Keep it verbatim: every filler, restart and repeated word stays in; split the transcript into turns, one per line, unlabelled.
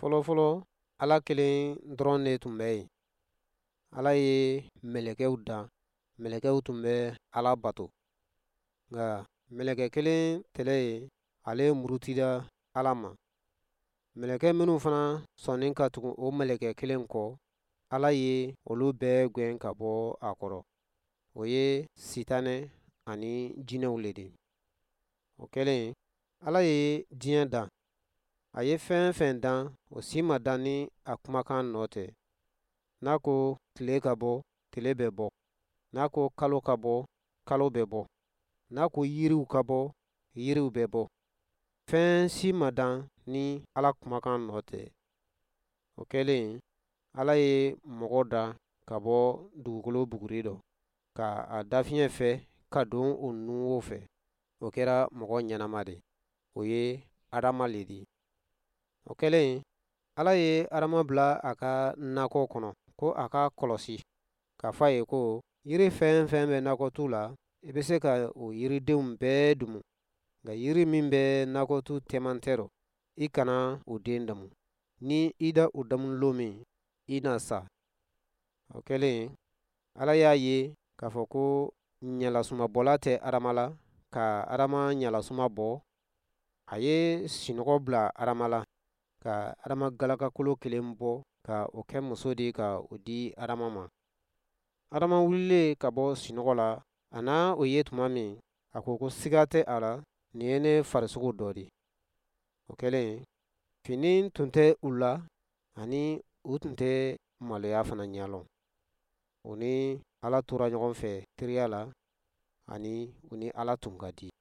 Fɔlɔfɔlɔ, Ala kelen dɔrɔn de tun bɛ yen. Ala ye mɛlɛkɛw dan. Mɛlɛkɛw tun bɛ Ala bato, nka mɛlɛkɛ kelen tɛlɛ ye, ale murutira Ala ma. Mɛlɛkɛ minnu fana sɔnni ka tugu o mɛlɛkɛ kelen kɔ, Ala ye olu bɛɛ gwɛn ka bɔ a kɔrɔ. O ye Sitanɛ ani jinɛw le di. O kɛlen, Ala ye diɲɛ dan. A ye fɛn fɛn dan, o si ma dan ni a kumakan nɔ tɛ. N'a ko tile ka bɔ, tile bɛ bɔ. N'a ko kalo ka bɔ, kalo bɛ bɔ. N'a ko yiriw ka bɔ, yiriw bɛ bɔ. Fɛn si ma dan ni Ala kumakan nɔ tɛ. O kɛlen, Ala ye mɔgɔ da ka bɔ dugukolo buguri dɔ, ka a dafiɲɛ fɛ ka don o nunwo fɛ. O kɛra mɔgɔ ɲɛnama de, o ye Adama le di. O kɛlen, Ala ye Adama bila a ka nakɔ kɔnɔ ko a ka kɔlɔsi, k'a fɔ a ye ko yiri fɛn fɛn bɛ nakɔtu la, i bɛ se ka o yiridenw bɛɛ dumu, nka yiri min bɛ nakɔtu cɛmancɛ rɔ, i kana o den damu. Ni i da o damu lon min, i na sa. O kɛlen, Ala y'a ye k'a fɔ ko ɲɛlasumabɔla tɛ Adama la, ka Adama ɲɛlasuma bɔ. A ye sinɔgɔ bila Adama la, ka Adama galakakolo kelen bɔ ka o kɛ muso di, ka o di Adama ma. Adama wulilen ka bɔ sinɔgɔ la, a na o ye tuma min, a ko ko siga tɛ a la, nin ye ne farisogo dɔ di. O kɛlen, fini tun tɛ u la, ani u tun tɛ maloya fana ɲɛlɔn. U ni Ala tora ɲɔgɔn fɛ teriya la, ani u ni Ala tun ka di.